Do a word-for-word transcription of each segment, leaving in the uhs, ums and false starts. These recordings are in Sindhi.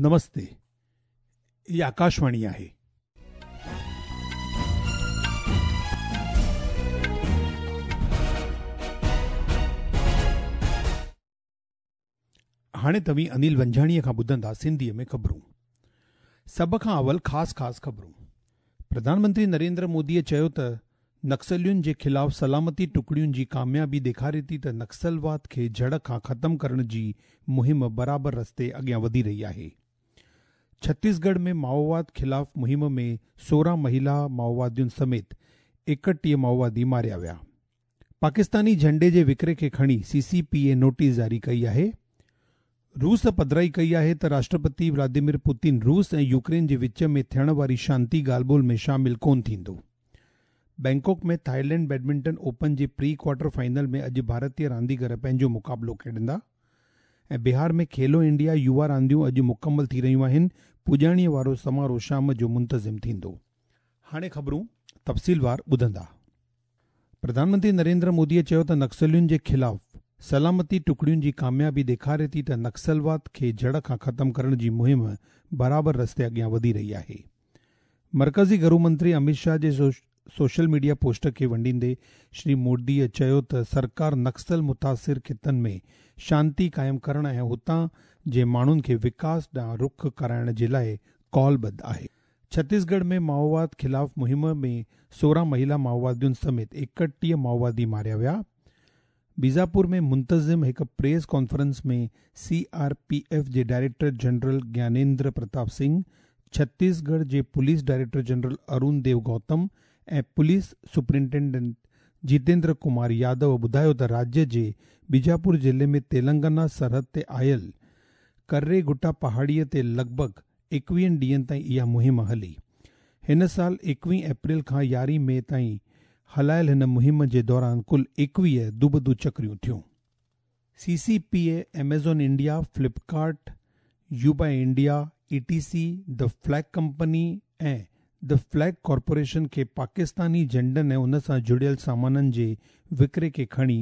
نمستي، هي آڪاشواڻي آهي. هاڻي توهين انيل ونجهاڻيءَ کان ٻڌندا سنڌيءَ ۾ خبرون. سڀ کان اول خاص خاص خبرون. پرڌان منتري نريندر موديءَ چيو ته نڪسلين جي خلاف سلامتي ٽڪڙين جي ڪاميابي ڏيکاري ٿي ته نڪسلواد کي جڙ کان ختم ڪرڻ جي مهم برابر رستي اڳيان وڌي رهي آهي. ڇتيسڳڙهه ۾ مائوواد خلاف مهم ۾ سورهن مهلا مائووادين سميت ايڪٽيهه مائووادي ماريا ويا. پاڪستاني جهنڊي جي وڪري کي کڻي سي سي پي اي نوٽيس جاري ڪئي آهي. روس پڌرائي ڪئي آهي ته راشٽرپتي ولاديمير پوتن روس ۽ يوڪرين جي وچ ۾ ٿيڻ واري شانتي ڳالهه ٻولهه ۾ شامل ڪونه ٿيندو. بينڪاڪ ۾ ٿائيلينڊ بيڊمنٽن اوپن جي پري ڪوارٽر فائنل ۾ اڄ ڀارتيه رانديگر پنهنجو مقابلو کيڏندا. ۽ بهار ۾ کيلو انڊيا يووا رانديون اڄ مڪمل ٿي رهيون آهن. پڄاڻيءَ وارو سماروهه شام جو منتظم ٿيندو. هاڻي خبرون تفصيلوار ٻڌندا. پرڌان منتري نريندر موديءَ چيو ته نڪسلين جي خلاف سلامتي ٽڪڙين جي ڪاميابي ڏيکاري ٿي ته نڪسلواد کي جڙ کان ختم ڪرڻ جي مهم برابر رستي اڳيان وڌي رهي آهي. مرڪزي گهرو منتري امت شاهه جي سوشل ميڊيا پوسٽ کي ونڊيندي شري موديءَ چيو ته سرڪار نڪسل متاثر خطن ۾ شانتي قائم ڪرڻ ۽ هتان جي ماڻهن کي وڪاس ڏانهن رخ ڪرائڻ جي لاءِ ڪالبڌ آهي. ڇتيسڳڙهه ۾ مائوواد خلاف مهم ۾ سورهن مهلا مائووادين سميت ايڪٽيهه مائووادي ماريا ويا. بيجاپور ۾ منتظم هڪ press conference ۾ C R P F جي ڊائريڪٽر جنرل گيانيندر پرتاپ سنگهه، ڇتيسڳڙهه جي police director general Arun Dev Gautam ۽ police superintendent Jitendra Kumar Yadav ٻڌايو ته راجيه جي بيجاپور ضلعي ۾ تيلنگانا سرحد تي آيل ڪريگٽا پهاڙيءَ تي لڳ ڀڳ ايڪويهن ڏينهن تائين اها مهم هلي. هن سال ايڪويهه اپريل کان يارهين مئي تائين هلايل هن مهم جي دوران ڪل ايڪويهه دوبدو چڪريون ٿيون. C C P A, Amazon India, Flipkart, Ubuy India, E T C, the Flag Company ۽ the Flag Corporation کي پاڪستاني جهنڊن ۽ ان سان جڙيل سامانن جي وڪري کي کڻي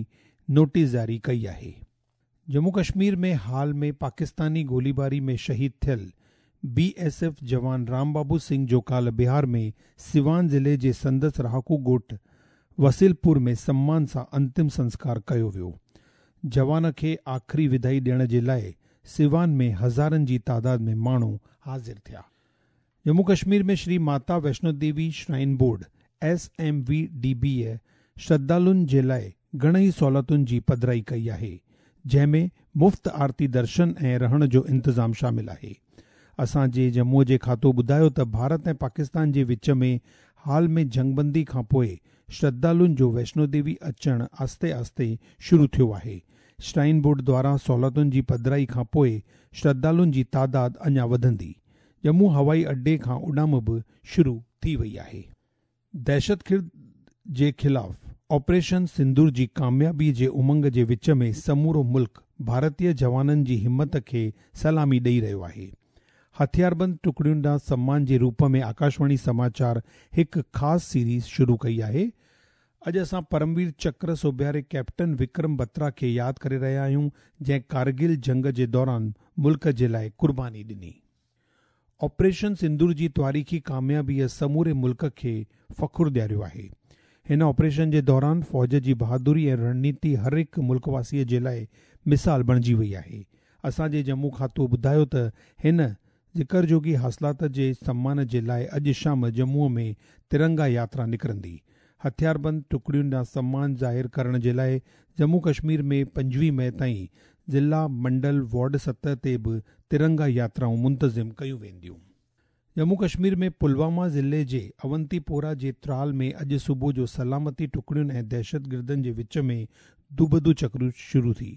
نوٽيس جاري ڪئي آهي. ڄمون ڪشمير ۾ حال ۾ پاڪستاني گوليباري ۾ شهيد ٿيل بي ايس ايف جوان رام بابو سنگهه جو ڪالهه بهار ۾ سيوان ضلعي جي سندس رهاڪو ڳوٺ وسيلپور ۾ سمان سان انتم سنسڪار ڪيو ويو. جوان کي آخري ودائي ڏيڻ جي لاءِ سيوان ۾ هزارن جي تعداد ۾ ماڻهو حاضر ٿيا. Jammu Kashmir ۾ Shri Mata Vaishno Devi shrine board S M V D بيءَ شرڌالن جي لاءِ گهڻئي سهوليتن جي پڌرائي ڪئي آهي، جنهن ۾ مفت آرتي درشن ۽ رهڻ جو انتظام شامل آهي. اسان جي ڄمونءَ جي کاتو ٻڌايو ته ڀارت ۽ پاڪستان جي وچ ۾ حال ۾ جنگبندي کان پوءِ شرڌالن جو ويشنو ديوي اچڻ آهستي آهستي شروع ٿيو آهي. شرائن بورڊ دواران سهوليتن جي پڌرائي کان پوءِ شرڌالن جي تعداد اڃا وڌندي. ڄمون هوائي اڏي کان اڏام به شروع ٿي وئي آهي. دهشتگرد جي خلاف آپريشن سندور جي ڪاميابي جي امنگ جي وچ ۾ سمورو ملڪ ڀارتيه جوانن جي همت کي سلامي ڏيئي رهيو آهي. هٿياربند ٽڪڙين ڏانهن سمان جي روپ ۾ آڪاشواڻي سماچار هڪ خاص سيريز شروع ڪئي آهي. اڄ اسان پرموير چڪر سوڀياري ڪيپٽن وڪرم بترا کي ياد ڪري رهيا آهيون، جنهن ڪارگل جنگ جي دوران ملڪ جي لاءِ قرباني ڏني. آپريشن سندور جي تاريخي ڪاميابيءَ سموري ملڪ کي فخر ڏياريو آهي. هن آپريشن جي دوران فوج جي بهادري ۽ رڻنيتي هر هڪ ملڪ واسيءَ جي لاءِ مثال بڻجي وئي آهي. اسان جي ڄمون کاتو ٻڌايو ته هن ذڪر جوڳي حاصلات جي سمان جي لاءِ اڄ شام ڄمونءَ ۾ ترنگا ياترا نڪرندي. هٿياربند ٽڪڙين ڏانهن سمان ظاهر ڪرڻ جي لاءِ ڄمون ڪشمير ۾ پنجويهه مئي تائين ضلع، منڊل، وارڊ سطح تي به ترنگا ياترائون منتظم ڪيون وينديون. ڄمون ڪشمير ۾ پلواما ضلعي جي اونتيپورا جي ترال ۾ اڄ صبح جو سلامتي ٽڪڙين ۽ دهشتگردن جي وچ ۾ دوبدو چڪريون شروع ٿي.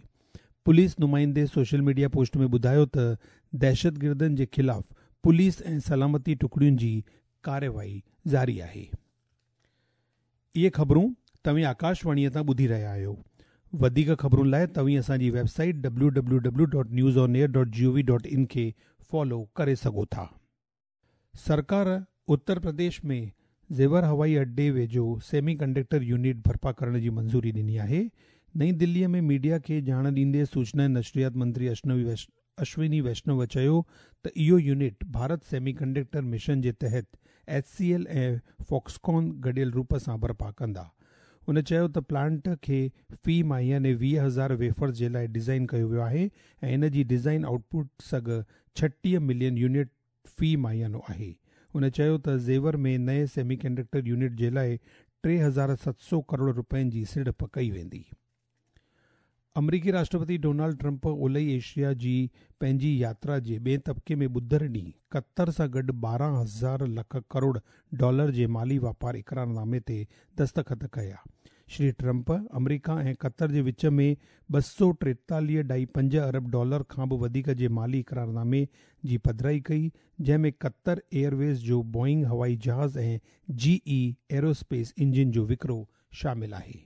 پوليس نمائندي سوشل ميڊيا پوسٽ ۾ ٻڌايو ته دهشتگردن جي خلاف پوليس ۽ سلامتي ٽڪڙين جي ڪارروائي جاري آهي. اهي خبرون توهين آڪاشواڻيءَ تان ٻڌي رهيا آهيو. وڌيڪ خبرن لاءِ توهين اسان جي website W W W dot news on air dot G O V dot in کي فالو ڪري سگهو ٿا. سرڪار اتر پرديش ۾ زيور هوائي اڏي ويجهو سيمي ڪنڊڪٽر يونٽ برپا ڪرڻ جي منظوري ڏني آهي. نئين دليءَ ۾ ميڊيا کي ڄاڻ ڏيندي سوچنا ۽ نشريات منتري اشوني ويشنو چيو ته اهو unit Bharat semi conductor mission جي تحت ايڇ سي ايل ۽ فاڪسڪان گڏيل روپ سان برپا ڪندا. هن چيو ته پلانٽ کي في ماهياني ويهه هزار ويفرز جي لاءِ ڊزائين ڪيو ويو آهي ۽ ان جي ڊزائين آئوٽ پٽ سگهه ڇٽيهه ملين يونٽ في ماهيانو آهي. هن چيو ته زيور ۾ نئين سيمي ڪنڊڪٽر يونٽ جي لاءِ ٽي هزار ست سؤ ڪروڙ رپين جي سيڙپ ڪئي ويندي. آمريڪي راشٽرپتي ڊونلڊ ٽرمپ اولهي ايشيا جي پنهنجي ياترا جي ٻئي طبقي ۾ ٻڌر ڏينهن قطر سان گڏ ٻارهن هزار لک ڪروڙ ڊالر جي مالي واپار اقرارنامي تي دستخط ڪيا. شري ٽرمپ آمريڪا ۽ قطر جي وچ ۾ ٻه سؤ ٽيتاليهه اڍائي پنج ارب ڊالر کان به وڌيڪ جي مالي اقرارنامي جي پڌرائي ڪئي، جنهن ۾ قطر ايئرويز جو بوئنگ هوائي جهاز ۽ جي اي ايروسپيس انجن جو وڪرو شامل آهي.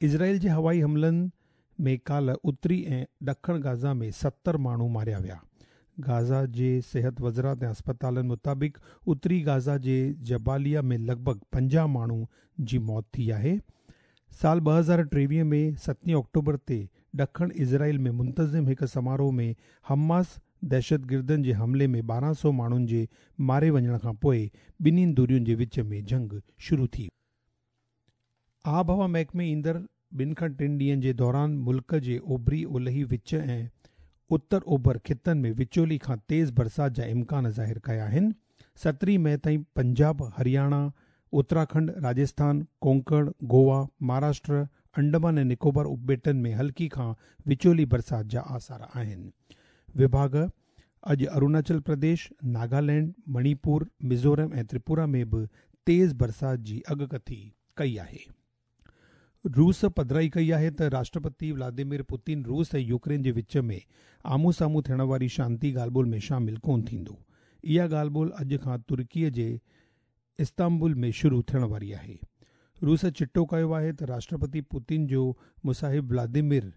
اسرائيل جي هوائي حملن ۾ ڪالهه اتري ۽ ڏکڻ گازا ۾ ستر ماڻهو ماريا ويا. گازا جي صحت وزارت ۽ اسپتالن مطابق اتري گازا جي جباليا ۾ لڳ ڀڳ پنجاهه ماڻهو جي موت ٿي آهي. سال ٻه هزار ٽيويهه ۾ ستين آڪٽوبر تي ڏکڻ اسرائيل ۾ منتظم هڪ سماروهه ۾ حماس دهشتگردن جي حملي ۾ ٻارهن سؤ ماڻهن جي ماري وڃڻ کان پوءِ ٻنهي ڌرين جي وچ ۾ جنگ شروع ٿي. آبهوا محڪمي ايندڙ ٻن کان ٽن ڏينهن جي دوران ملڪ جي اوڀري، اولهي، وچ ۽ اتر اوڀر خطن ۾ وچولي کان تيز برسات جا امڪان ظاهر ڪيا آهن. سترهين مئي تائين پنجاب، هرياڻا، اتراکنڊ، راجسٿان، ڪونڪڻ، گوا، مهاراشٽر، انڊمان ۽ نڪوبار اپٻيٽن ۾ هلڪي کان وچولي برسات جا آثار آهن. وڀاڳ اڄ اروناچل پرديش، ناگالينڊ، مڻيپور، ميزورم ۽ تريپورا ۾ به تيز برسات جي اڳڪٿي ڪئي آهي. روس پڌرائي ڪئي آهي ته راشٽرپتي ولاديمير پوتن روس ۽ يوڪرين جي وچ ۾ آمهون سامهون ٿيڻ واري شانتي ڳالهه ٻولهه ۾ شامل ڪونه ٿيندو. اها ڳالهه ٻولهه اڄ کان ترڪيءَ جي استنبول ۾ شروع ٿيڻ واري آهي. روس چٽو ڪيو آهي ته راشٽرپتي پوتن جو مصاحب ولاديمير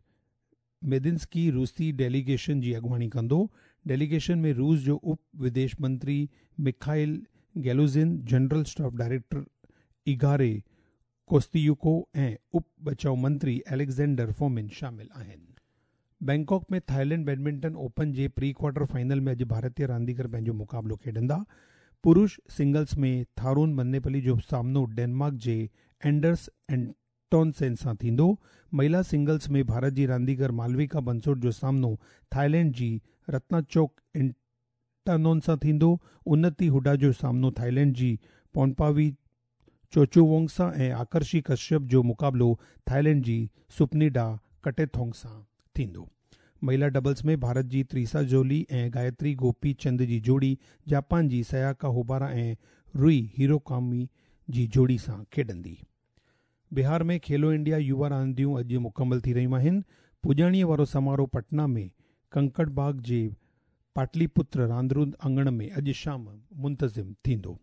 ميدنسڪي روسي ڊيليگيشن جي اڳواڻي ڪندو. ڊيليگيشن ۾ روس جو اپ وديش منتري Mikhail Galuzin, general staff director Igor Kostyuk ۽ up بچاءُ منتري اليگزينڊر فومن شامل آهن. بينڪاڪ ۾ ٿائيلينڊ بيڊمنٽن اوپن جي پري ڪوارٽر فائنل ۾ اڄ ڀارتيه رانديگر پنهنجو مقابلو کيڏندا. پرش سنگلز ۾ ٿارون منيپلي جو سامنو ڊينمارڪ جي اينڊرس اينٽونسين سان ٿيندو. مهلا سنگلز ۾ ڀارت جي رانديگر مالويڪا بنسوٽ جو سامنو ٿائيلينڊ جي رتناچوڪ انٽانون سان ٿيندو. انتي هوڊا جو سامنو ٿائيلينڊ جي پونپاوي چوچوونگ سان ۽ آڪرشي ڪشيپ جو مقابلو ٿائيلينڊ جي سپنيڊا ڪٽيٿونگ سان ٿيندو. مهلا ڊبلز ۾ ڀارت جي تريسا جولي ۽ گايتري گوپي چند جي جوڙي جاپان جي سياڪا هوبارا ۽ روئي هيروڪامي جي جوڙي سان کيڏندي. بهار ۾ کيلو انڊيا يووا رانديون اڄ مڪمل ٿي رهيون آهن. پڄاڻيءَ وارو سماروهه پٽنا ۾ ڪنڪڙ باغ جي پاٽلي پتر راندرود اڱڻ ۾ اڄ شام منتظم ٿيندو.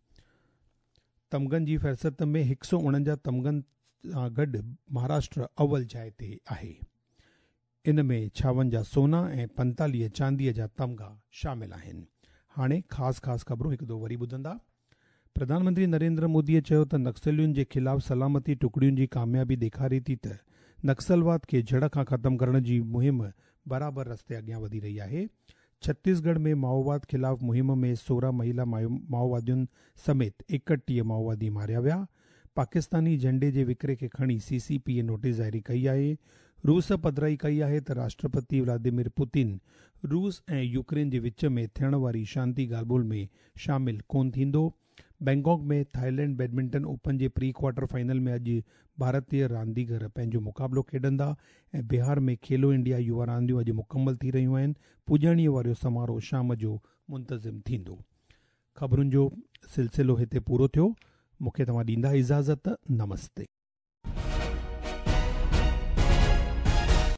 تمغن جي فهرست ۾ هڪ سؤ اڻونجاهه تمغن سان گڏ مهاراشٽر اول جاءِ تي آهي. ان ۾ ڇاونجاهه سونا ۽ پنجيتاليهه چانديءَ جا تمغا شامل آهن. هاڻي خاص خاص خبرون هڪ دفعو وري ٻڌندا. پرڌان منتري نريندر موديءَ چيو ته نڪسلين جي خلاف سلامتي ٽڪڙين جي ڪاميابي ڏيکاري ٿي ته نڪسلواد کي جڙ کان ختم ڪرڻ جي مهم برابر رستي اڳيان وڌي رهي آهي. ڇتيسڳڙهه ۾ مائوواد خلاف مهم ۾ سورهن مهلا مائووادين سميت ايڪٽيهه مائووادي ماريا ويا. پاڪستاني جهنڊي جي وڪري کي کڻي سي سي پي اي نوٽيس جاري ڪئي آهي. روس پڌرائي ڪئي آهي ته راشٽرپتي ولاديمير پوتن روس ۽ يوڪرين جي وچ ۾ ٿيڻ واري شانتي ڳالهه ٻولهه ۾ شامل ڪونه ٿيندو. بينڪاڪ ۾ ٿائيلينڊ بيڊمنٽن اوپن جي پري ڪوارٽر فائنل ۾ اڄ ڀارتيه رانديگر پنهنجو مقابلو کيڏندا ۽ بهار ۾ کيلو انڊيا يووا رانديون اڄ مڪمل ٿي رهيون آهن. پڄاڻيءَ وارو سماروهه شام جو منتظم ٿيندو. خبرن جو سلسلو هتي پورو ٿيو. مون کي توهان ڏيندا اجازت. نمستي.